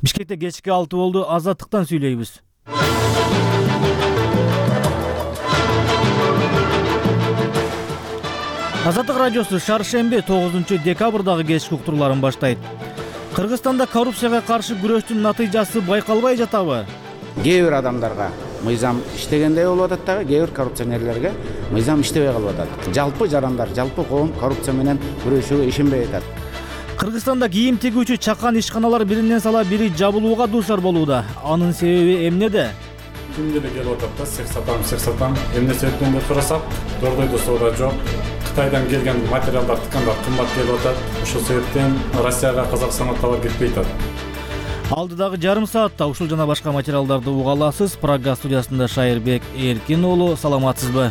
Бишкекте кечки 6 болду. Азаттыктан сүйлөйбүз. Азаттык радиосу шаршемби 9-декабрдагы кечки уктурууларын баштайт. Кыргызстанда коррупцияга каршы күрөштүн натыйжасы байкалбай жатабы? Кээ бир адамдарга мыйзам иштегендей болуп атат дагы, кээ бир коррупционерлерге мыйзам иштебей калып атат. Жалпы жарандар, жалпы коом коррупция менен күрөшүүгө ишенбей атат. Кыргызстанда кийим тигүүчү чакан ишканалар биринен сала бири жабылууга дуушар болууда. Анын себеби эмнеде? Күндө эле келип атат да, сек сатам. Эмне себептен деп сурасак, дордойдо соода жок. Кытайдан келген материалдар тыкандар кымбат келип атат. Ошол себептен Россияга, Казакстанга товар кетпей атат. Алдыдагы жарым саатта ушул жана башка материалдарды уга аласыз. Прага студиясында Шайырбек Эркин уулу, саламатсызбы?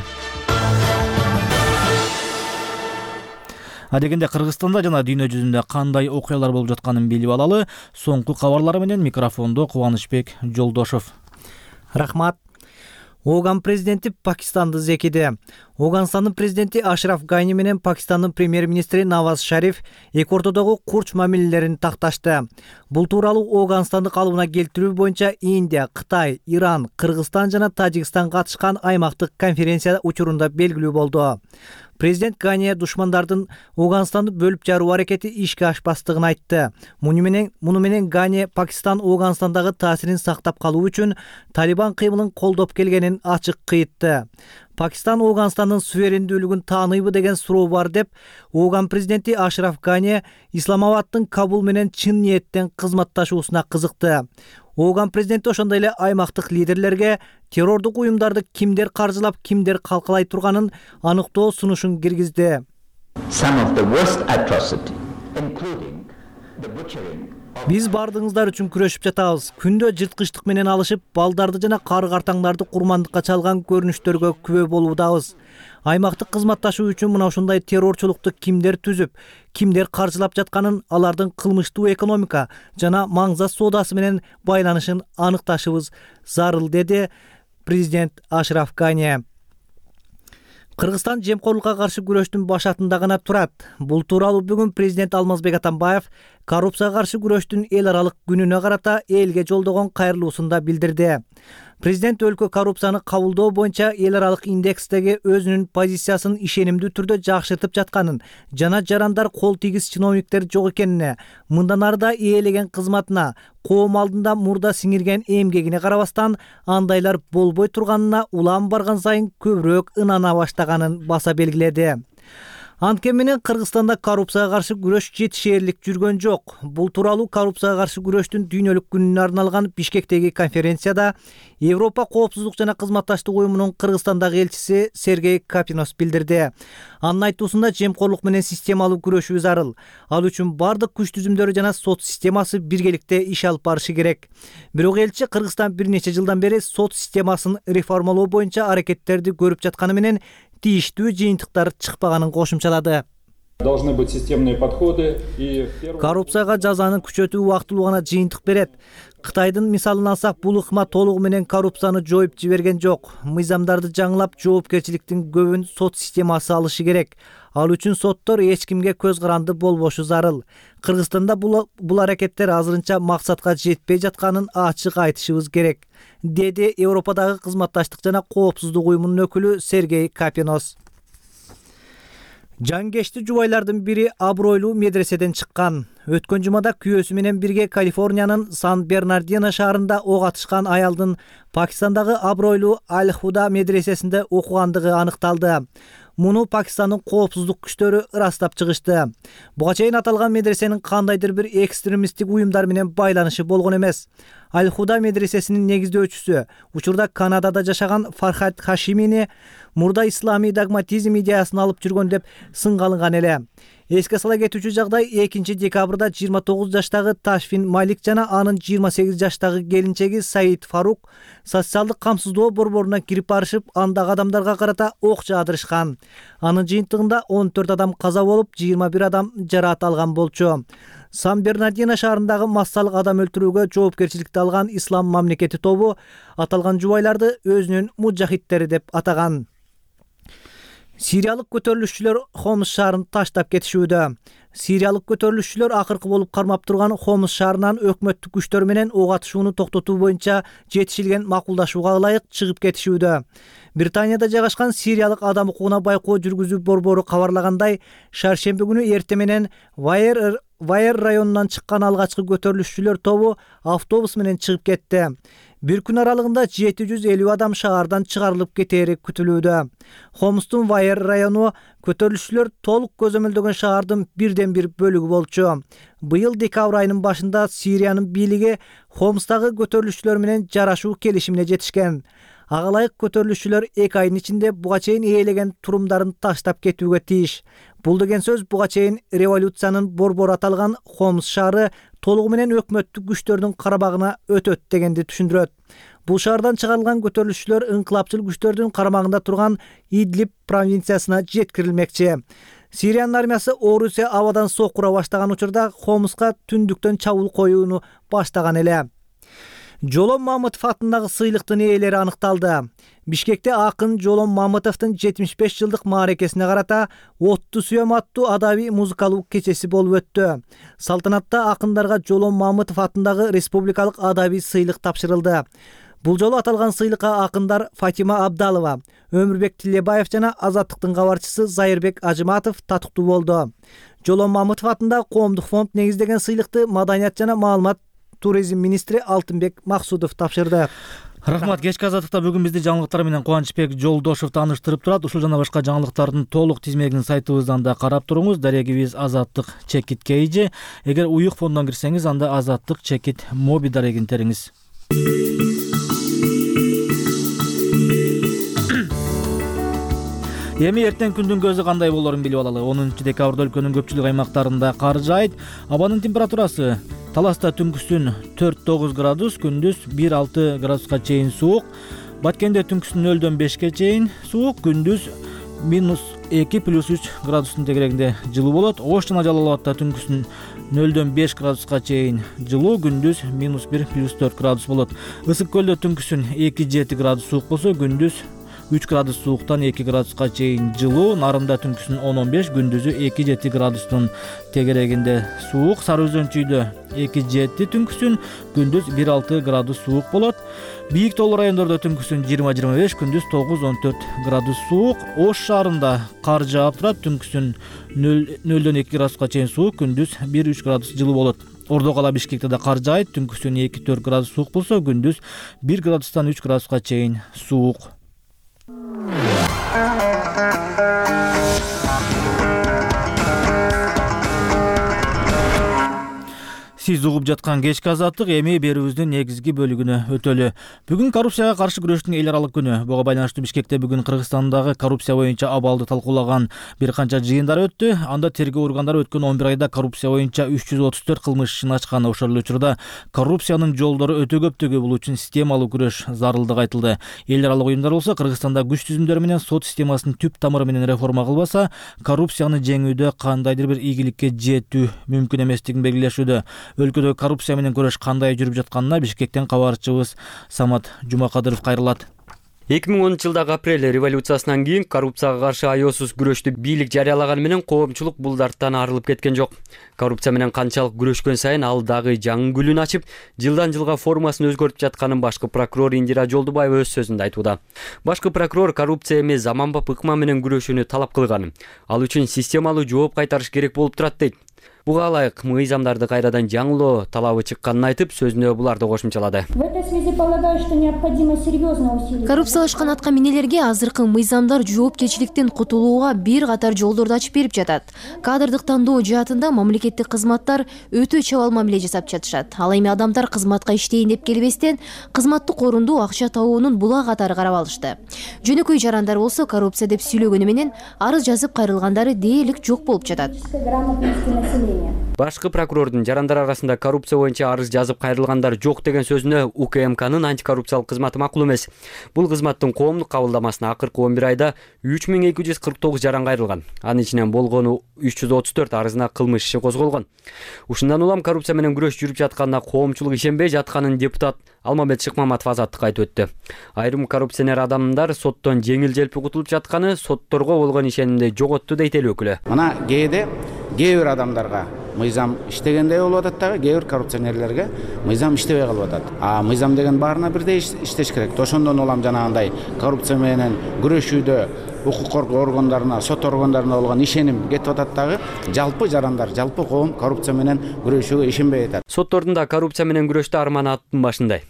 Адегенде Кыргызстанда жана дүйнө жүзүндө кандай окуялар болуп жатканын билип алалы. Соңку кабарлар менен микрофондо Кубанычбек Жолдошов. Рахмат. Оган президенти Пакистанды зекиди. Оганстандын президенти Ашраф Гани менен Пакистандын премьер-министри Наваз Шариф эки ортодогу курч мамилелерин такташты. Бул тууралуу Оганстанды калыбына келтирүү боюнча Индия, Кытай, Иран, Кыргызстан жана Тажикстан катышкан аймактык конференция учурунда белгилүү болду. Президент Гани душмандардын Оганстанды бөлүп жаруу аракети ишке ашпастыгын айтты. Муну менен Гани Пакистан Оганстандагы таасирин сактап калуу үчүн Талибан кыймылын колдоп келгенин ачык кыйтты. Пакистан Оганстандын суверендүүлүгүн тааныйбы деген суроо бар деп, Оган президенти Ашраф Гани Исламабадтын Кабул менен чын ниеттен кызматташуусуна кызыкты. Оган президенти ошондой эле аймактык лидерлерге террордук уюмдарды кимдер каржылап, кимдер калкалай турганын аныктоо сунушун киргизди. Биз бардыгыңыздар үчүн күрөшүп жатабыз. Күндө жырткычтык менен алышып, балдарды жана кары-картаңдарды курмандыкка чалган көрүнүштөргө күбө болуудабыз. Аймактык кызматташуу үчүн мына ушундай террорчулукту кимдер түзүп, кимдер каржылап жатканын, алардын кылмыштуу экономика жана маңзат соодасы менен байланышын аныкташыбыз зарыл, деди президент Ашраф Гани. Кыргызстан жемкорлукка каршы күрөштүн башатында гана турат. Бул тууралуу бүгүн президент Алмазбек Атамбаев коррупцияга каршы күрөштүн эл аралык күнүнө карата элге жолдогон кайрылуусунда билдирди. Президент өлкө коррупцияны кабылдоо боюнча эл аралык индекстеги өзүнүн позициясын ишенимдүү түрдө жакшыртып жатканын жана жарандар кол тийгиз чиновниктер жок экенине, мындан арыда ээлеген кызматына, коом алдында мурда сиңирген эмгегине карабастан андайлар болбой турганына улам барган сайын көбүрөөк ынана баштаганын баса белгиледи. Анткени менен Кыргызстанда коррупцияга каршы күрөш жетишээрлик жүргөн жок. Бул тууралуу коррупцияга каршы күрөштүн дүйнөлүк күнүнө арналган Бишкектеги конференцияда Европа коопсуздук жана кызматташтык уюмунун Кыргызстандагы элчиси Сергей Капинос билдирди. Анын айтуусунда жемкорлук менен системалуу күрөшүү зарыл. Ал үчүн бардык күч түзүмдөрү жана сот системасы биргеликте иш алып барышы керек. Бирок элчи Кыргызстан бир нече жылдан бери сот системасын реформалоо боюнча аракеттерди көрүп жатканы менен тийиштүү жыйынтыктар чыкпаганын кошумчалады. Должны быть системные подходы и коррупцияга жазаны күчөтүү убактылуу гана жыйынтык берет. Кытайдын мисалын алсак, бул ыкма толугу менен коррупцияны жоюп жиберген жок. Мыйзамдарды жаңылап, жоопкерчиликтин көбүн сот системасы алышы керек. Ал үчүн соттор эч кимге көз каранды болбошу зарыл. Кыргызстанда бул аракеттер азырынча максатка жетпей жатканын ачык айтышыбыз керек, деди Европадагы кызматташтык жана коопсуздук уюмунун өкүлү Сергей Капинос. Жангечти жубайлардын бири абройлуу медреседен чыккан. Өткөн жумада күйөөсү менен бирге Калифорниянын Сан-Бернардино шаарында ок атышкан аялдын Пакистандагы абройлуу Аль-Худа медресесинде окугандыгы аныкталды. Муну Пакистандын коопсуздук күчтөрү ырастап чыгышты. Буга чейин аталган медресенин кандайдыр бир экстремисттик уюмдар менен байланышы болгон эмес. Аль-Худа медресесинин негиздөөчүсү, учурда Канадада жашаган Фархад Хашимини мурда исламий догматизм идеясын алып жүргөн деп сынгалынган эле. Эске сала кетүүчү жагдай 2 декабрда 29 жаштагы Ташфин Малик жана анын 28 жаштагы келинчеги Саид Фарук социалдык камсыздоо борборуна кирип барышып, андагы адамдарга карата ок жаадырышкан. Анын жыйынтыгында 14 адам каза болуп, 21 адам жараат алган болчу. Сан-Бернардино шаарындагы массалык адам өлтүрүүгө жоопкерчиликти алган Ислам мамлекети тобу аталган жубайларды өзүнүн мужахиттери деп атаган. Сириялык көтөрүлүшчүлөр Хомс шаарын таштап кетишүүдө. Сириялык көтөрүлүшчүлөр акыркы болуп кармап турган Хомс шаарынан өкмөттүк күчтөр менен ок атышууну токтотуу боюнча жетишилген макулдашууга ылайык чыгып кетишүүдө. Британияда жайгашкан Сириялык адам укугуна байкоо жүргүзүү борбору кабарлагандай, шаршемби күнү эрте менен Вайер районунан чыккан алгачкы көтөрүлүшчүлөр тобу автобус менен чыгып кетти. Бир күн аралыгында 750 адам шаардан чыгарылып кетери күтүлүүдө. Хомстун Вайер району көтөрүлүшчүлөр толук көзөмөлдөгөн шаардын бирден бир бөлүгү болчу. Быйыл декабрь айынын башында Сириянын бийлиги Хомстагы көтөрүлүшчүлөр менен жарашуу келишимине жетишкен. Ага ылайык көтөрүлүшчүлөр 2 айдын ичинде буга чейин ээлеген турумдарын таштап кетүүгө тийиш. Бул деген сөз буга чейин революциянын борбору аталган Хомс шаары толугу менен өкмөттүк күчтөрдүн карабагына өтөт дегенди түшүндүрөт. Бул шаардан чыгарылган көтөрүлүшчүлөр ыңкылапчыл күчтөрдүн карамагында турган Идлиб провинциясына жеткирилмекчи. Сириянын армиясы Орусия абадан сокура баштаган учурда Хомска түндүктөн чабуул коюуну баштаган эле. Жолом Мамытов атындагы сыйлыктын ээлери аныкталды. Бишкекте акын Жолом Мамытовдун 75 жылдык мааракесине карата Отту сүйөм аттуу адабий музыкалуу кечеси болуп өттү. Салтанатта акындарга Жолом Мамытов атындагы республикалык адабий сыйлык тапшырылды. Бул жолу аталган сыйлыкка акындар Фатима Абдалова, Өмүрбек Тилебаев жана Азаттыктын кабарчысы Зайырбек Ажыматов татыктуу болду. Жолом Мамытов атындагы коомдук фонд негиздеген сыйлыкты Маданият жана маалымат туризм министри Алтынбек Максудов тапшырды. Рахмат. Кечки азаттыкта бүгүн бизди жаңылыктар менен Кубанычбек Жолдошов тааныштырып турат. Ушул жана башка жаңылыктардын толук тизмегин сайтыбыздан да карап туруңуз. Дарегибиз Азаттык Чекит KG. Эгер уюк фондон кирсеңиз, анда Азаттык Чекит Моби дарегин териңиз. Эми эртең күндүн көзү кандай болорун билип алалы. 10 декабрда өлкөнүн көпчүлүк аймактарында кар жаайт. Абанын температурасы Таласта түнкүсүн 4-9 градус, күндүз 1-6 градуска чейин суук. Баткенде түнкүсүн 0-дөн 5ке чейин суук, күндүз -2+3 градустун тегерегинде жылуу болот. Ош жана Жалал Абадта түнкүсүн 0-дөн 5 градуска чейин жылуу, күндүз -1+4 градус болот. Ысык көлдө түнкүсүн 2-7 градус суук болсо, күндүз 3 градус сууктан 2 градуска чейин жылуу. Нарында түнкүсүн 10-15, күндүзү 2-7 градустун тегерегинде суук. Сары Өзөн-чүйдө 2-7 түнкүсүн, күндүз 1-6 градус суук болот. Бийик тоолуу райондордо түнкүсүн 20-25, күндүз 9-14 градус суук. Ош шаарында кар жаап турат, түнкүсүн 0-дөн 2 градуска чейин суук, күндүз 1-3 градус жылуу болот. Ордо кала Бишкекте да кар жаайт, түнкүсүн 2-4 градус суук болсо, күндүз 1 градустан 3 градуска чейин суук. Сиз угуп жаткан кечки азаттык эми берүүбүздүн негизги бөлүгүнө өтөлү. Бүгүн коррупцияга каршы күрөштүн эл аралык күнү. Буга байланыштуу Бишкекте бүгүн Кыргызстандагы коррупция боюнча абалды талкуулаган бир канча жыйындар өттү. Анда тергөө органдары өткөн 11 айда коррупция боюнча 334 кылмыш ишин ачкан. Ошол эле учурда коррупциянын жолдору өтө көптүгү, бул үчүн системалуу күрөш зарылдыгы айтылды. Эл аралык уюмдар болсо Кыргызстанда күч түзүмдөрү менен сот системасын түп тамыры менен реформа кылбаса, коррупцияны жеңүүдө кандайдыр бир ийгиликке жетүү мүмкүн эместигин белгилешүүдө. Өлкөдө коррупция менен күрөш кандай жүрүп жатканына Бишкектен кабарчыбыз Самат Жумакадыров кайрылат. 2010-жылдагы апрель революциясынан кийин коррупцияга каршы аеосуз күрөштү бийлик жарыялаганы менен коомчулук бул дарттан арылып кеткен жок. Коррупция менен канчалык күрөшкөн сайын ал дагы жаңы гүлүн ачып, жылдан жылга формасын өзгөртүп жатканын башкы прокурор Индира Жолдубаева өз сөзүндө айтууда. Башкы прокурор коррупция эми заманбап ыкма менен күрөшүүнү талап кылган. Ал үчүн системалуу жооп кайтарыш керек болуп турат дейт. Буга ылайык мыйзамдарды кайрадан жаңылоо талабы чыкканын айтып, сөзүнө буларды кошумчалады. Коррупциялашкан атка минелерге азыркы мыйзамдар жоопкерчиликтен кутулууга бир катар жолдорду ачып берип жатат. Кадрдык тандоо жаатында мамлекеттик кызматтар өтө чабал мамиле жасап жатышат. Ал эми адамдар кызматка иштейин деп келбестен, кызматтык орунду акча табуунун була катары карап алышты. Жөнөкөй жарандар болсо коррупция деп сүйлөгөнү менен арыз жазып кайрылгандары дээрлик жок болуп жатат. Башкы прокурордун жарандар арасында коррупция боюнча арыз жазып кайрылгандар жок деген сөзүнө УКМКнын антикоррупциялык кызматы макул эмес. Бул кызматтын коомдук кабылдамасына акыркы 11 айда 3249 жаран кайрылган. Анын ичинен болгону 334 арызына кылмыш иши козголгон. Ушундан улам коррупция менен күрөш жүрүп жатканына коомчулук ишенбей жатканын депутат Алмамбет Шыкмаматов Азаттыкка айтып өттү. Айрым коррупционер адамдар соттон жеңил-желпи кутулуп жатканы сотторго болгон ишенимди жоготту дейт эл өкүлү. Мына кээ бир адамдар адамдарга мыйзам иштегендей болуп атат дагы, кээ бир коррупционерлерге мыйзам иштебей калып атат. Мыйзам деген баарына бирдей иштеш керек. Ошондон улам жанагындай коррупция менен күрөшүүдө укук коргоо органдарына, сот органдарына болгон ишеним кетип атат дагы. Жалпы жарандар, жалпы коом коррупция менен күрөшүүгө ишенбей атат. Соттордун да коррупция менен күрөштө арманы аттын башындай.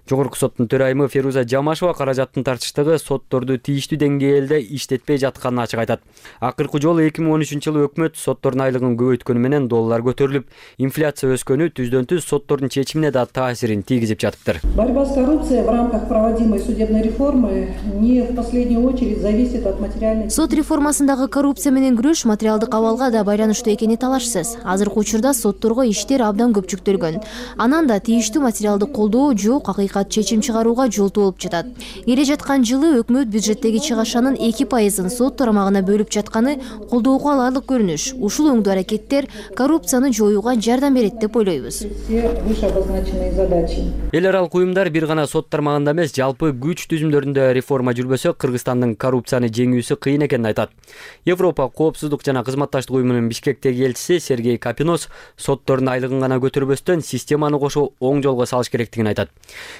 Жогорку соттун төрайымы Феруза Жамашева каражаттын тартыштыгы сотторду тийиштүү деңгээлде иштетпей жатканын ачык айтат. Акыркы жолу 2013-жылы өкмөт соттордун айлыгын көбөйткөнү менен доллар көтөрүлүп, инфляция өскөнү түздөн-түз соттордун чечимине да таасирин тийгизип жатыптыр. Борьба с коррупцией в рамках проводимой судебной реформы не в последнюю очередь зависит от материальной... Сот реформасындагы коррупция менен күрөш материалдык абалга да байланыштуу экени талашсыз. Азыркы учурда сотторго иштер абдан көп жүктөлгөн. Анан да тийиштүү материалдык колдоо жок, акыйкат чечим чыгарууга жолтуу болуп жатат. Келе жаткан жылы өкмөт бюджеттеги чыгашанын 2% сот тарамагына бөлүп жатканы колдоого аларлык көрүнүш. Ушул оңдуу аракеттер коррупцияны жоюуга жардам берет деп ойлойбуз. Эл аралык уюмдар бир гана сот тармагында эмес, жалпы күч түзүмдөрүндө реформа жүрбөсө, Кыргызстандын коррупцияны жеңүүсү кыйын экенин айтат. Европа коопсуздук жана кызматташтык уюмунун Бишкектеги элчиси Сергей Капинос соттордун айлыгын гана көтөрбөстөн системаны кошо оң жолго салыш керектигин айтат.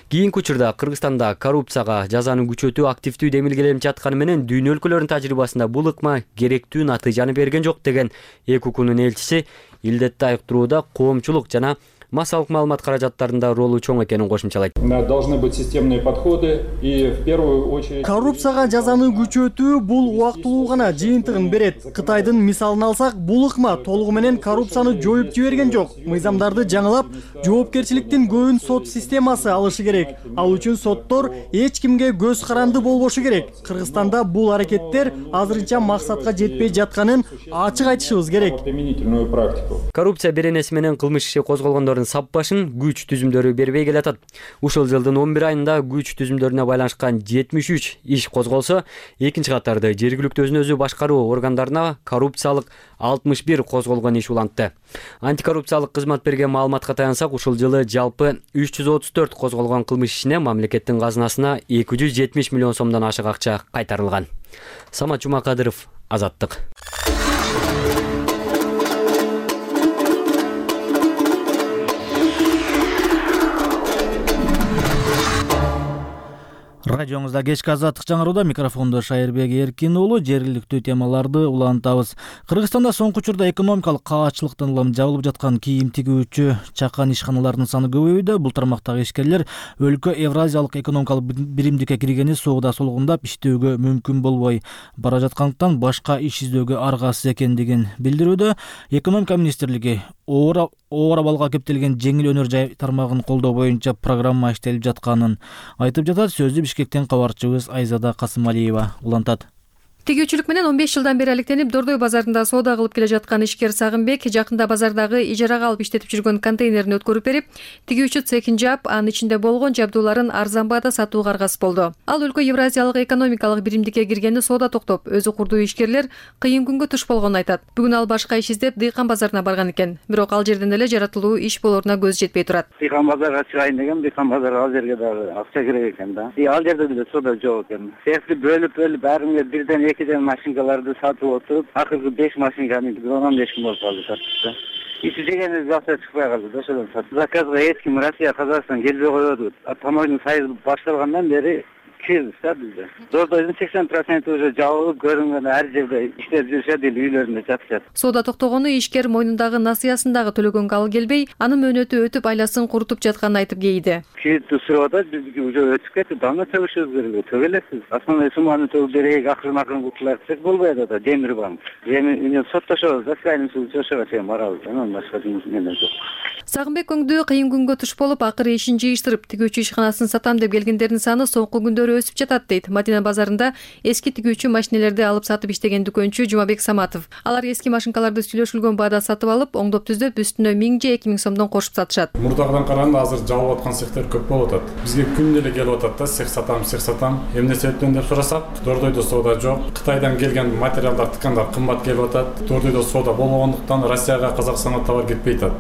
Кийинки учурда Кыргызстанда коррупцияга жазаны күчөтүү активдүү демилгеленип жатканы менен дүйнө өлкөлөрүнүн тажрыйбасында бул ыкма керектүү натыйжаны берген жок деген ЭКУКнун элчиси илдетти айыктырууда коомчулук жана массалык маалымат каражаттарында ролу чоң экенин кошумчалайт. Должны быть системные подходы и в первую очередь коррупцияга жазаны күчөтүү бул убактылуу гана жыйынтыгын берет. Кытайдын мисалын алсак, бул ыкма толугу менен коррупцияны жоюп жиберген жок. Мыйзамдарды жаңылап, жоопкерчиликтин көбүн сот системасы алышы керек. Ал үчүн соттор эч кимге көз каранды болбошу керек. Кыргызстанда бул аракеттер азырынча максатка жетпей жатканын ачык айтышыбыз керек. Коррупция беренеси менен кылмыш иши козголгондор сап башын күч түзүмдөрү бербей келатат. Ушул жылдын 11 айында күч түзүмдөрүнө байланышкан 73 иш козголсо, экинчи катарды жергиликтүү өзүн өзү башкаруу органдарына коррупциялык 61 козголгон иш улантты. Антикоррупциялык кызмат берген маалыматка таянсак, ушул жылы жалпы 334 козголгон кылмыш ишине мамлекеттин казынасына 270 миллион сомдон ашык акча кайтарылган. Самат Жумакадыров, Азаттык. Радиоңузда кечки Азаттык жаңырууда, микрофондо Шайырбек Эркин уулу. Жергиликтүү темаларды улантабыз. Кыргызстанда соңку учурда экономикалык каачылыктан улам жабылып жаткан кийим тигүүчү чакан ишканаларынын саны көбөйүүдө. Бул тармактагы ишкерлер өлкө Евразиялык экономикалык биримдикке киргени соода солгундап иштөөгө мүмкүн болбой бара жаткандыктан башка иш издөөгө аргасыз экендигин билдирүүдө. Экономика министрлиги оор абалга кептелген жеңил өнөр жай тармагын колдоо боюнча программа иштелип жатканын айтып жатат. Сөздү Бишкектен кабарчыбыз Айзада Касымалиева улантат. Тигүүчүлүк менен 15 жылдан бери алектенип Дордой базарында соода кылып келе жаткан ишкер Сагынбек жакында базардагы ижарага алып иштетип жүргөн контейнерин өткөрүп берип, тигүүчү цехин жаап, анын ичинде болгон жабдууларын арзан баада сатууга аргасыз болду. Ал өлкө Евразиялык экономикалык биримдикке киргени соода токтоп, өзү курдуу ишкерлер кыйын күнгө туш болгонун айтат. Бүгүн ал башка иш издеп Дыйкан базарына барган экен. Бирок ал жерден эле жаратылуу иш болоруна көз жетпей турат. Дыйкан базарга чыгайын деген, Дыйкан базарга ал жерге дагы акча керек экен да. Ал жерде деле соода жок экен. Цехти бөлүп баарыңга бирден экиден машинкалар сатып отуруп, акыркы 5 машинканы 15 күн болуп калды саттыкта. Иши дегенде акча чыкпай калды да, ошодон сатып. Заказга эч ким Россия, Казакстан келбей коёбуз. Тамойдун сайызы башталгандан бери кирбиз да бизде. Дордойдун 80% уже жабылып, көрүнгөн ар жерде иштеп жүрүшөт, үйлөрүндө жатышат. Соода токтогону ишкер мойнундагы насыясын дагы төлөгөнгө ал келбей, анын мөөнөтү өтүп айласын курутуп жатканын айтып кейди. Кредитти сурап атат, биздики уже өтүп кетти, дагы төгүшүбүз керек. Төгөлөсүз. Основной сумманы төгүп берейик, акырын кутулар десек болбойт да, демир банк. Эми соттошобуз, заскайын чыгышага чейин барабыз. Анан башка эмне жок. Сагынбек өңдүү кыйын күнгө туш болуп, акыры ишин жыйыштырып, тигүүчү ишканасын сатам деп келгендердин саны соңку күндөрү өсүп жатат дейт Мадина базарында эски тигүүчү машинелерди алып сатып иштеген дүкөнчү Жумабек Саматов. Алар эски машинкаларды сүйлөшүлгөн баада сатып алып, оңдоп түздөп, үстүнө 1000 же 2000 сомдон кошуп сатышат. Мурдагыдан караганда азыр жабылып аткан цехтер көп болуп атат. Бизге күнү эле келип атат да, цех сатам. Эмне себептен деп сурасак, Дордойдо соода жок. Кытайдан келген материалдар, тыкандар кымбат келип атат. Дордойдо соода болбогондуктан Россияга, Казакстанга товар кетпей атат.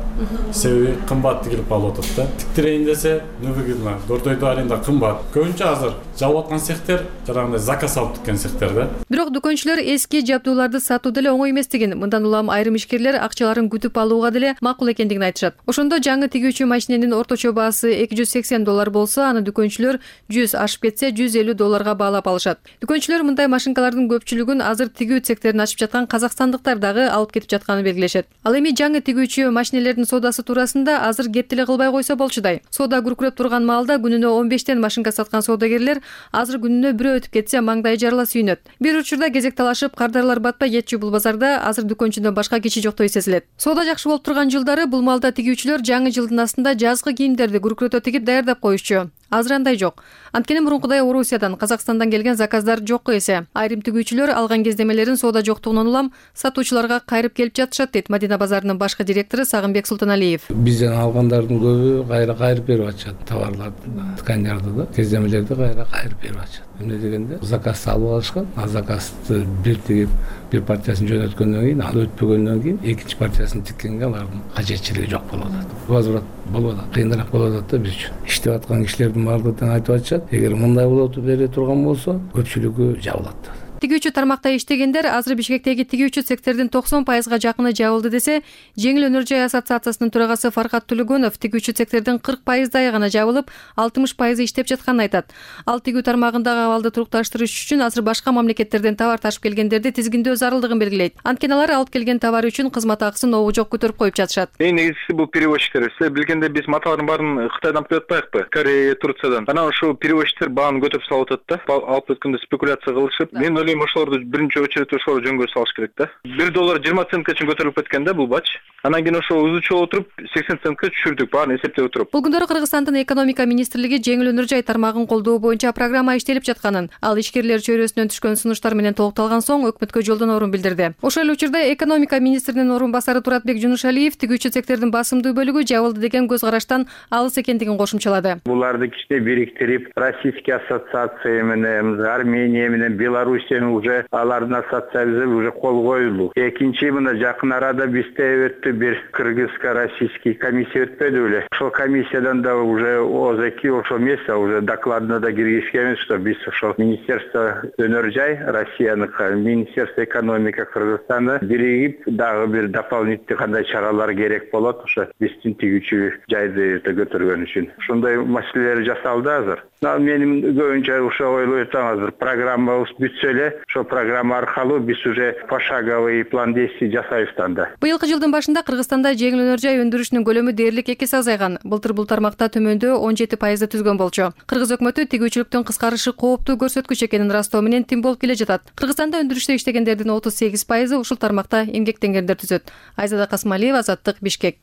Себеби кымбат тигилип калып атат да. Тиктирейин десе, невыгодно. Дордойдо аренда кымбат. Көбүнчө азыр жабылып аткан цехтер жанагындай заказ алып тиккен цехтер да. Бирок дүкөнчүлөр эски жабдууларды сатуу деле оңой эместигин, мындан улам айрым ишкерлер акчаларын күтүп алууга деле макул экендигин айтышат. Ошондо жаңы тигүүчү машиненин орточо баасы $280 болсо, аны дүкөнчүлөр 100 ашып кетсе $150 баалап алышат. Дүкөнчүлөр мындай машинкалардын көпчүлүгүн азыр тигүү цехтерин ачып жаткан казакстандыктар дагы алып кетип жатканын белгилешет. Ал эми жаңы тигүүчү машинелердин соодасы туурасында азыр кеп деле кылбай койсо болчудай. Соода күркүрөп турган маалда күнүнө 15тен машинка саткан соодагерлер азыр күнүнө бирөө өтүп кетсе маңдайы жарыла сүйүнөт. Бир учурда кезек талашып кардарлар батпай кетчү бул базарда азыр дүкөнчүдөн башка киши жоктой сезилет. Соода жакшы болуп турган жылдары бул маалда тигүүчүлөр жаңы жылдын астында жазгы кийимдерди күркүрөтө тигип даярдап коюшчу. Азыр андай жок. Анткени мурункудай Орусиядан, Казакстандан келген заказдар жокко эсе. Айрым тигүүчүлөр алган кездемелерин соода жоктугунан улам сатуучуларга кайрып келип жатышат, дейт Мадина базарынын башкы директору Сагынбек Султаналиев. Бизден алгандардын көбү кайрып берип атышат, товарларды, тканьдарды да, кездемелерди кайрып берип атышат. Эмне дегенде заказ алып алышкан, а заказды бир тигип, бир партиясын жөнөткөндөн кийин, ал өтпөгөндөн кийин экинчи партиясын тиккенге алардын кажетчилиги жок болуп атат. Возврат болуп атат, кыйыныраак болуп атат да биз үчүн. Иштеп аткан кишилердин баардыгы тең айтып атышат, эгер мындай болуп бере турган болсо, көпчүлүгү жабылат. Тигүүчү тармакта иштегендер азыр Бишкектеги тигүүчү цехтердин 90%га жакыны жабылды десе, Жеңил өнөр жай ассоциациясынын төрагасы Фаркат Төлөгөнов тигүүчү цехтердин 40%-ай гана жабылып, 60% иштеп жатканын айтат. Ал тигүү тармагындагы абалды турукташтырыш үчүн азыр башка мамлекеттерден товар ташып келгендерди тизгиндөө зарылдыгын белгилейт. Анткени алар алып келген товары үчүн кызмат акысын обу жок көтөрүп коюп жатышат. Эң негизгиси бул перевозчиктер. Сиз билгендей биз маталардын баарын Кытайдан алып келип атпайбыкпы? Корея, Турциядан. Анан ошол перевозчиктер бааны көтөрүп салып атат да. Алып өткөндө спекуляция кылышып, мен ойлойм ошолорду биринчи очередь ошолор жөнгө салыш керек да. $1.20 чейин көтөрүлүп кеткен да бул бач. Анан кийин ошо узучу отуруп 80 центке түшүрдүк, баарын эсептеп отуруп. Бул күндөрү Кыргызстандын экономика министрлиги жеңил өнөр жай тармагын колдоо боюнча программа иштелип жатканын, ал ишкерлер чөйрөсүнөн түшкөн сунуштар менен толукталган соң өкмөткө жолдонорун билдирди. Ошол эле учурда экономика министринин орун басары Туратбек Жунушалиев тигүүчү цехтердин басымдуу бөлүгү жабылды деген көз караштан алыс экендигин кошумчалады. Буларды кичине бириктирип, Российский ассоциация менен, Армения менен, Белоруссиянын уже алардын ассоциациясы уже кол коюлду. Экинчи мына жакын арада бизде өттү бир кыргызско-российский комиссия өтпөдү беле. Ошол комиссиядан да уже ОЗК ошол место уже докладына да киргизгенбиз, что биз ошол Министерство өнөр жай Россияныкы, Министерство экономика Кыргызстаны биригип дагы бир дополнительный кандай чаралар керек болот, ошо биздин тигүүчү жайды көтөргөн үчүн. Ошондой маселелер жасалды азыр. Менин көбүнчө ошо ойлойт азыр программабыз бүтсө эле, ошо программа аркылуу биз уже пошаговый план действий жасайбыз анда. Быйылкы жылдын башында Кыргызстанда жеңил өнөр жай өндүрүшүнүн көлөмү дээрлик 2 эсе азайган. Былтыр бул тармакта төмөндөө 17% түзгөн болчу. Кыргыз өкмөтү тигүүчүлүктүн кыскарышы кооптуу көрсөткүч экенин ырастоо менен тим болуп келе жатат. Кыргызстанда өндүрүштө иштегендердин 38% ушул тармакта эмгектенгендер түзөт. Айзада Касмалиева, Азаттык, Бишкек.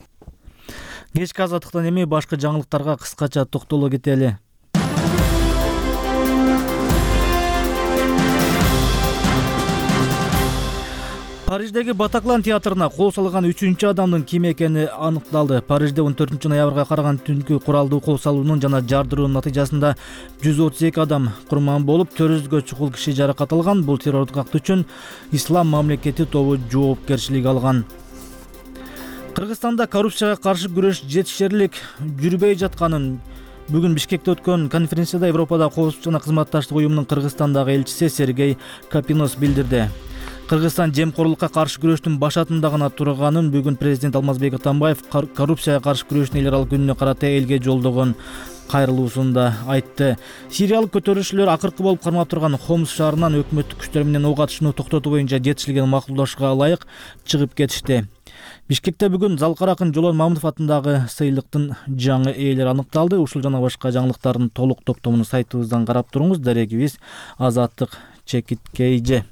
Кечки азаттыктан эми башкы жаңылыктарга кыскача токтоло кетели. Париждеги Батаклан театрына кол салган 3-чү адамдын ким экени аныкталды. Парижде 14 ноябрга караган түнкү куралдуу кол салуунун жана жардыруунун натыйжасында 132 адам курман болуп, 400гө чукул киши жаракат алган. Бул террордук акт үчүн Ислам мамлекети тобу жоопкерчилик алган. Кыргызстанда коррупцияга каршы күрөш жетишерлик жүрбөй жатканын бүгүн Бишкекте өткөн конференцияда Европада коопсуздук жана кызматташтык уюмунун Кыргызстандагы элчиси Сергей Капинос билдирди. Кыргызстан жемкорлукка каршы күрөштүн башатында гана турганын бүгүн президент Алмазбек Атамбаев коррупцияга каршы күрөштүн эл аралык күнүнө карата элге жолдогон кайрылуусунда айтты. Сириялык көтөрүүчүлөр акыркы болуп кармап турган Хомс шаарынан өкмөттүк күчтөр менен ок атышууну токтотуу боюнча жетишилген макулдашууга ылайык чыгып кетишти. Бишкекте бүгүн Залкар акын Жолон Мамытов атындагы сыйлыктын жаңы ээлери аныкталды. Ушул жана башка жаңылыктардын толук топтомун сайтыбыздан карап туруңуз. Дарегибиз Азаттык Чекиткейже.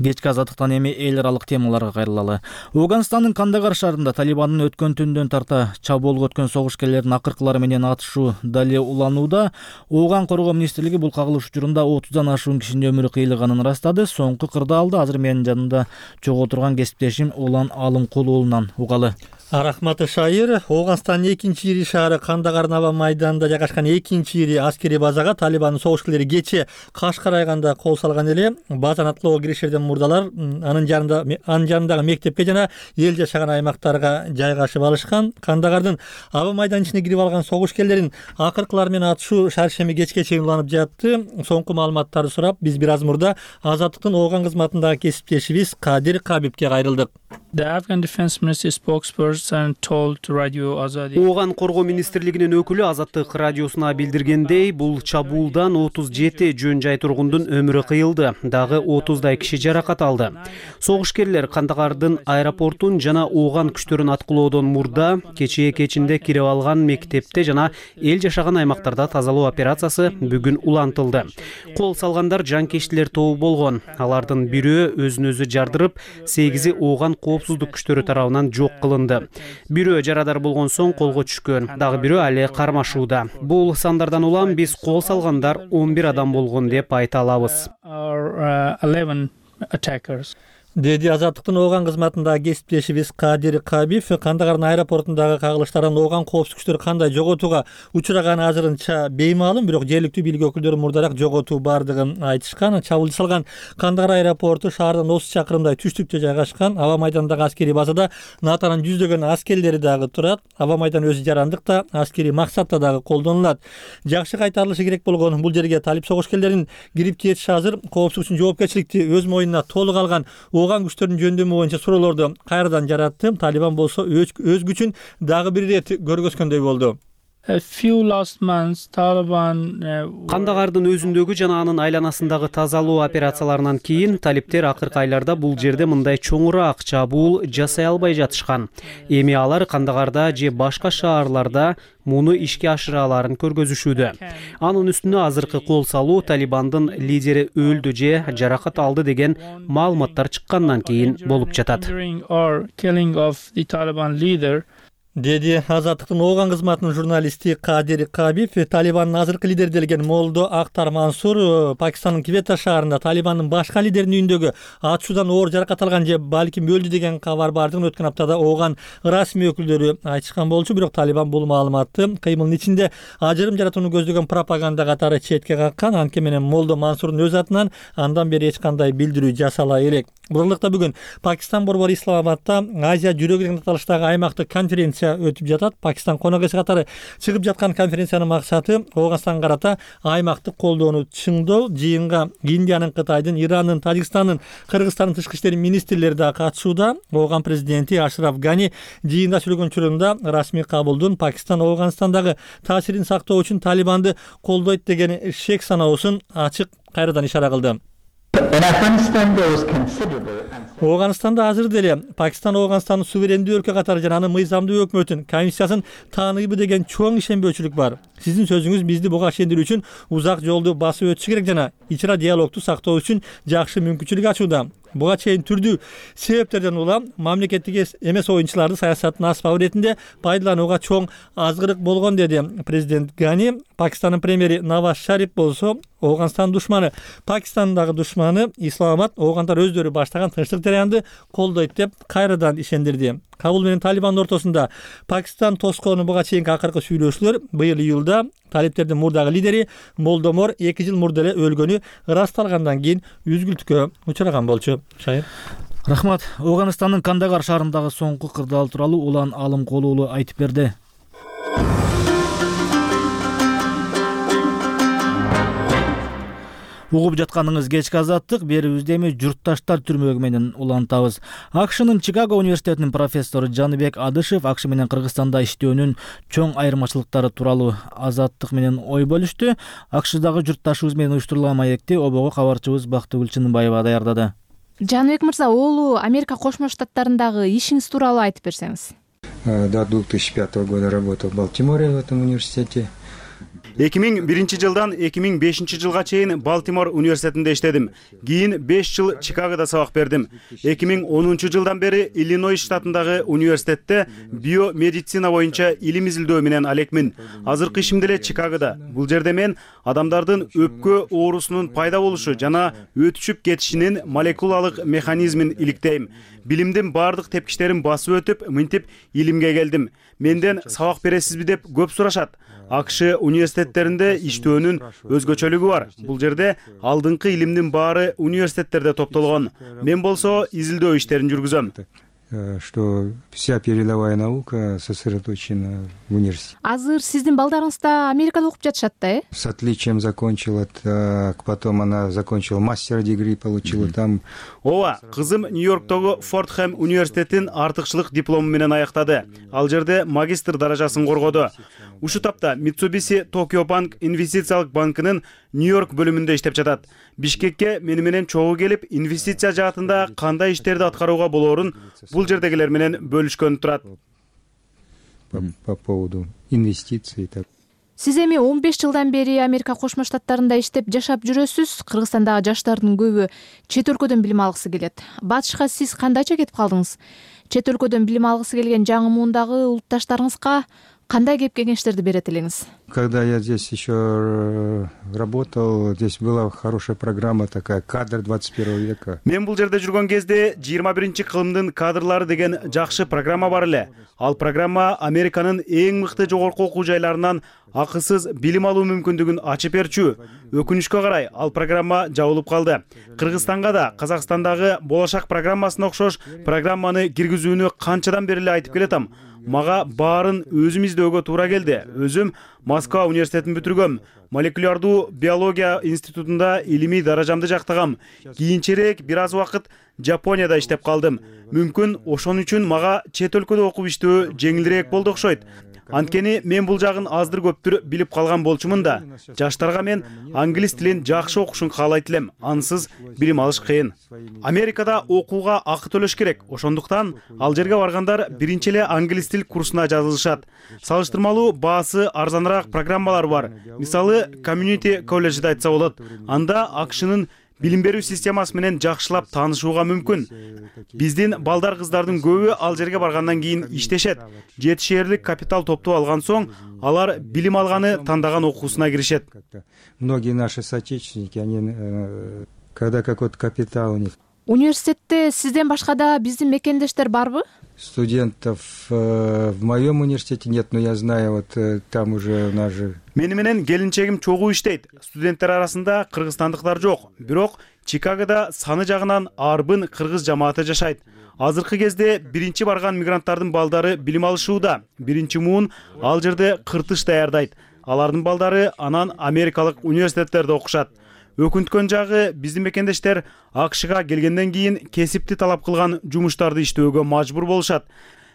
Кечки азаттыктан эми эл аралык темаларга кайрылалы. Афганистандын Кандагар шаарында Талибандын өткөн түндөн тарта чабуулга өткөн согушкерлердин акыркылары менен атышуу дале уланууда. Афган коргоо министрлиги бул кагылыш учурунда 30дан ашуун кишинин өмүрү кыйылганын ырастады. Соңку кырдаалды азыр менин жанымда чогуу турган кесиптешим Улан Алымкулуулунан угалы. Рахмат Шайыр. Ооганстандын экинчи ири шаары Кандагардын аба майданында жайгашкан экинчи ири аскерий базага Талибандын согушкерлери кече Кашкар айганда кол салган эле. Базаны атлоого киришерден мурдалар анын жанындагы мектепке жана эл жашаган аймактарга жайгашып алышкан. Кандагардын аба майданын ичине кирип алган согушкерлерин акыркылар менен атышуу шаршемби кечке чейин уланып жатты. Соңку маалыматтарды сурап, биз бир аз мурда Азаттыктын Ооган кызматындагы кесиптешибиз Кадир Кабибке кайрылдык. The Afghan Defense Ministry spokesperson told Radio Azadi. Ооган коргоо министрлигинин өкүлү Азаттык радиосуна билдиргендей, бул чабуулдан 37 жөн жай тургундун өмүрү кыйылды, дагы 30дай киши жаракат алды. Согушкерлер Кандагардын аэропортун жана Ооган күчтөрүн аткылоодон мурда кечээ кечинде кирип алган мектепте жана эл жашаган аймактарда тазалоо операциясы бүгүн улантылды. Кол салгандар жанкечтилер тобу болгон. Алардын бирөө өзүн өзү жардырып, 8-и Ооган коопсуздук күчтөрү тарабынан жок кылынды. Бирөө жарадар болгон соң колго түшкөн, дагы бирөө али кармашууда. Бул сандардан улам биз кол салгандар 11 адам болгон деп айта алабыз. Деди Азаттыктын Ооган кызматындагы кесиптешибиз Кадир Кабиб. Кандагардын аэропортундагы кагылыштардан Ооган коопсуздук күчтөрү кандай жоготууга учураганы азырынча беймаалым, бирок жергиликтүү бийлик өкүлдөрү мурдараак жоготуу бардыгын айтышкан. Чабуул жасалган Кандагар аэропорту шаардан 30 чакырымдай түштүктө жайгашкан. Аба майданындагы аскерий базада НАТОнун жүздөгөн аскерлери дагы турат. Аба майдан өзү жарандыкта, аскерий максатта дагы колдонулат. Жакшы кайтарылышы керек болгон бул жерге талип согушкерлерин кирип кетиши азыр коопсуздук үчүн жоопкерчиликти өз моюнуна толук алган Ооган күчтөрүнүн жөндөмү боюнча суроолорду кайрадан жаратты. Талибан болсо өз күчүн дагы бир ирет көргөзгөндөй болду. Кандагардын өзүндөгү жана анын айланасындагы тазалоо операцияларынан кийин талиптер акыркы айларда бул жерде мындай чоңураак чабуул жасай албай жатышкан. Эми алар Кандагарда же башка шаарларда муну ишке ашыра аларын көргөзүшүүдө. Анын үстүнө азыркы кол салуу Талибандын лидери өлдү же жаракат алды деген маалыматтар чыккандан кийин болуп жатат. Деди Азаттыктын Ооган кызматынын журналисти Кадир Кабиб. Талибандын азыркы лидери делген Молдо Актар Мансур Пакистандын Квета шаарында Талибандын башка лидеринин үйүндөгү атышуудан оор жаракат алган же балким өлдү деген кабар бардыгын өткөн аптада Ооган расмий өкүлдөрү айтышкан болчу, бирок Талибан бул маалыматты кыймылдын ичинде ажырым жаратууну көздөгөн пропаганда катары четке каккан. Анткени менен Молдо Мансурдун өз атынан андан бери эч кандай билдирүү жасала элек. Бурундукта бүгүн Пакистан борбору Исламабадта Азия жүрөгү деген аталыштагы аймактык конференция өтүп жатат. Пакистан конок эси катары чыгып жаткан конференциянын максаты Ооганстанга карата аймактык колдоону чыңдоо. Жыйынга Индиянын, Кытайдын, Ирандын, Тажикстандын, Кыргызстандын тышкы иштер министрлери да катышууда. Ооган президенти Ашраф Гани жыйында сүйлөгөн учурунда расмий кабулдун Пакистан Ооганстандагы таасирин сактоо үчүн Талибанды колдойт деген шек саноосун ачык кайрадан ишара кылды. Ооганстанда азыр деле Пакистан Ооганстандын суверендүү өлкө катары жана анын мыйзамдуу өкмөтүн комиссиясын тааныйбы деген чоң ишенбөөчүлүк бар. Сиздин сөзүңүз бизди буга ишендирүү үчүн узак жолду басып өтүшү керек жана ичра диалогду сактоо үчүн жакшы мүмкүнчүлүк ачууда. Буга чейин түрдүү себептерден улам мамлекеттик эмес оюнчуларды саясаттын аспабы иретинде пайдаланууга чоң азгырык болгон, деди президент Гани. Пакистандын премьери Наваз Шариф болсо Ооганстан душманы, Пакистандагы душманы Исламабад Оогандар өздөрү баштаган тынчтык жараянды колдойт деп кайрадан ишендирди. Кабул менен Талибандын ортосунда Пакистан тоскоonu буга чейинки акыркы сүйлөшүүлөр быйыл июлда талиптердин мурдагы лидери Молдомор 2 жыл мурда эле өлгөнү ырасталгандан кийин үзгүлтүккө учураган болчу. Шайыр. Рахмат. Ооганстандын Кандагар шаарындагы соңку кырдаал тууралуу Улан Алымкулуу уулу айтып берди. Угуп жатканыңыз кечки азаттык, берүүбүздө эми журтташтар түрмөгү менен улантабыз. АКШнын Чикаго университетинин профессору Жаныбек Адышев АКШ менен Кыргызстанда иштөөнүн чоң айырмачылыктары тууралуу азаттык менен ой бөлүштү. АКШдагы журтташыбыз менен уюштурулган маекти обого кабарчыбыз Бактыгүл Чыныбаева даярдады. Жаныбек мырза, улуу Америка Кошмо Штаттарындагы ишиңиз тууралуу айтып берсеңиз. До 2005 года работал в Балтиморе в этом университете. 2001 жылдан 2005 жылга чейин Балтимор университетинде иштедим. Кийин 5 жыл Чикагода сабак бердим. 2010 жылдан бери Иллинойс штатындагы университетте биомедицина боюнча илим изилдөө менен алекмин. Азыркы ишим деле Чикагода. Бул жерде мен адамдардын өпкө оорусунун пайда болушу жана өтүшүп кетишинин молекулалык механизмин иликтейм. Билимдин бардык тепкичтерин басып өтүп, мынтип илимге келдим. Менден сабак бересизби деп көп сурашат. АКШ университеттеринде иштөөнүн өзгөчөлүгү бар. Бул жерде алдыңкы илимдин баары университеттерде топтолгон. Мен болсо изилдөө иштерин жүргүзөм. Что вся передовая наука сосредоточена в университете. Азыр сиздин балдарыңыз да Америкада окуп жатышат да, С отличием закончила, потом она закончила мастер-дегри, получила там. Ооба, кызым Нью-Йорктогу Фордхэм университетин артыкчылык диплому менен аяктады. Ал жерде магистр даражасын коргоду. Ушу тапта Mitsubishi Tokyo Bank инвестициялык банкынын Нью-Йорк бөлүмүндө иштеп жатат. Бишкекке мени менен чогуу келип, инвестиция жаатында кандай иштерди аткарууга болоорун бул жердегилер менен бөлүшкөн турат. По поводу инвестиций. Сиз эми 15 жылдан бери Америка Кошмо Штаттарында иштеп жашап жүрөсүз. Кыргызстандагы жаштардын көбү чет өлкөдөн билим алгысы келет. Батышка сиз кандайча кетип калдыңыз? Чет өлкөдөн билим алгысы келген жаңы муундагы улутташтарыңызга кандай кеп кеңештерди берет элеңиз? Когда я здесь еще работал, здесь была хорошая программа такая, кадр 21 века. Мен бул жерде жүргөн кезде 21 кылымдын кадрлары деген жакшы программа бар эле. Ал программа Американын эң мыкты жогорку окуу жайларынан акысыз билим алуу мүмкүндүгүн ачып берчү. Өкүнүчкө карай, ал программа жабылып калды. Кыргызстанга да Казакстандагы Болашак программасына окшош программаны киргизүүнү канчадан бери эле айтып келатам. Мага баарын өзүм издөөгө туура келди. Өзүм Москва университетин бүтүргөм. Молекулярдуу биология институтунда илимий даражамды жактагам. Кийинчерээк бир аз убакыт Жапонияда иштеп калдым. Мүмкүн ошон үчүн мага чет өлкөдө окуп иштөө жеңилирээк болду окшойт. Анткени мен бул жагын аздыр көптүр билип калган болчумун да. Жаштарга мен англис тилин жакшы окушун каалайт элем. Ансыз билим алыш кыйын. Америкада окууга акы төлөш керек. Ошондуктан ал жерге баргандар биринчи эле англис тил курсуна жазылышат. Салыштырмалуу баасы арзаныраак программалар бар. Мисалы, Community колледжде айтса болот. Анда АКШнын билим берүү системасы менен жакшылап таанышууга мүмкүн. Биздин балдар кыздардын көбү ал жерге баргандан кийин иштешет. Жетишээрлик капитал топтоп алган соң, алар билим алганы тандаган окуусуна киришет. Многие наши соотечественники, они когда какой-то капитал у них. Университетте сизден башка да биздин мекендештер барбы? Студентов в моем университете нет, но я знаю, вот там уже у нас же. Мени менен келинчегим чогуу иштейт. Студенттер арасында кыргызстандыктар жок. Бирок Чикагода саны жагынан арбын кыргыз жамааты жашайт. Азыркы кезде биринчи барган мигранттардын балдары билим алышууда. Биринчи муун ал жерде кыртыш даярдайт. Алардын балдары анан америкалык университеттерде окушат. Өкүнткөн жагы биздин мекендештер АКШга келгенден кийин кесипти талап кылган жумуштарды иштөөгө мажбур болушат.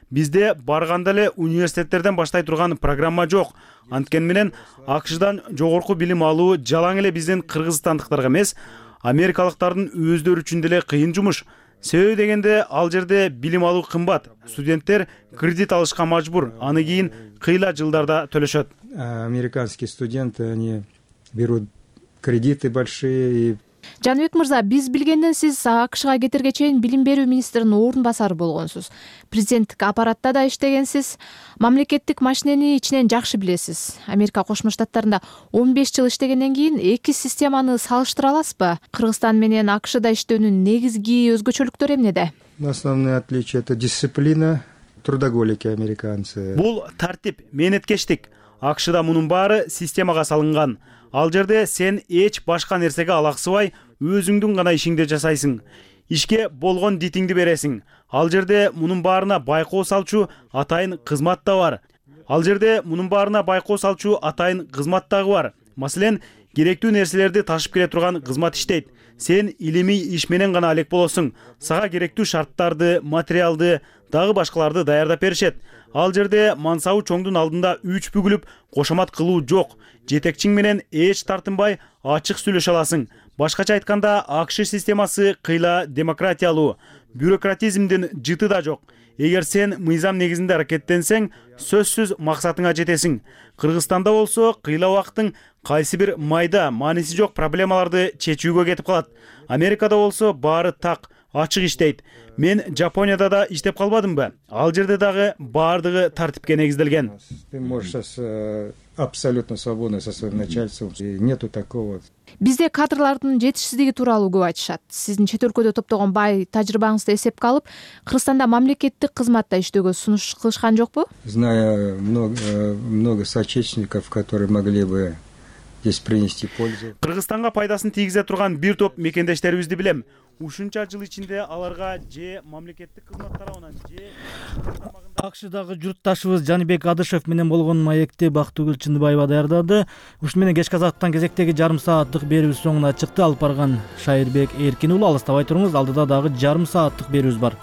Бизде барганда эле университеттерден баштай турган программа жок. Анткени менен АКШдан жогорку билим алуу жалаң эле биздин кыргызстандыктарга эмес, америкалыктардын өздөрү үчүн деле кыйын жумуш. Себеби дегенде ал жерде билим алуу кымбат. Студенттер кредит алышка мажбур. Аны кийин кыйла жылдарда төлөшөт. Американские студенты, они берут кредиты большие. Жаныбек мырза, биз билгенден сиз АКШга кетерге чейин билим берүү министринин орун басары болгонсуз. Президенттик аппаратта да иштегенсиз. Мамлекеттик машинени ичинен жакшы билесиз. Америка Кошмо Штаттарында 15 жыл иштегенден кийин эки системаны салыштыра аласызбы? Кыргызстан менен АКШда иштөөнүн негизги өзгөчөлүктөрү эмнеде? Основное отличие — это дисциплина, трудоголики американцы. Бул тартип, мээнеткечтик. АКШда мунун баары системага салынган. Ал жерде сен эч башка нерсеге алаксыбай, өзүңдүн гана ишиңди жасайсың. Ишке болгон дитиңди бересиң. Ал жерде мунун баарына байкоо салчу атайын кызмат да бар. Дагы бар. Маселен, керектүү нерселерди ташып келе турган кызмат иштейт. Сен илимий иш менен гана алек болосуң. Сага керектүү шарттарды, материалды, дагы башкаларды даярдап беришет. Ал жерде мансабы чоңдун алдында үч бүгүлүп кошомат кылуу жок. Жетекчиң менен эч тартынбай ачык сүйлөшө аласың. Башкача айтканда, АКШ системасы кыйла демократиялуу. бюрократизмдин жыты да жок. Эгер сен мыйзам негизинде аракеттенсең, сөзсүз максатыңа жетесиң. Кыргызстанда болсо кыйла убактың кайсы бир майда мааниси жок проблемаларды чечүүгө кетип калат. Америкада болсо баары так, ачык иштейт. Мен Жапонияда да иштеп калбадымбы? Ал жерде дагы баардыгы тартипке негизделген. Ты можешь абсолютно свободно со своим начальством. Нету такого. Бизде кадрлардын жетишсиздиги тууралуу көп айтышат. Сиздин чет өлкөдө топтогон бай тажрыйбаңызды эсепке алып, Кыргызстанда мамлекеттик кызматта иштөөгө сунуш кылышкан жокпу? Знаю много соотечественников, которые могли бы здесь принести пользу. Кыргызстанга пайдасын тийгизе турган бир топ мекендештерибизди билем. Ушунча жыл ичинде аларга же мамлекеттик кызмат тарабынан же АКШдагы журтташыбыз Жаныбек Адышев менен болгон маекти Бактыгүл Чындыбаева даярдады. Ушуну менен кечки казактан кезектеги жарым сааттык берүүбүз соңуна чыкты. Алып барган Шайырбек Эркин уулу, алыстабай туруңуз, алдыда дагы жарым сааттык берүүбүз бар.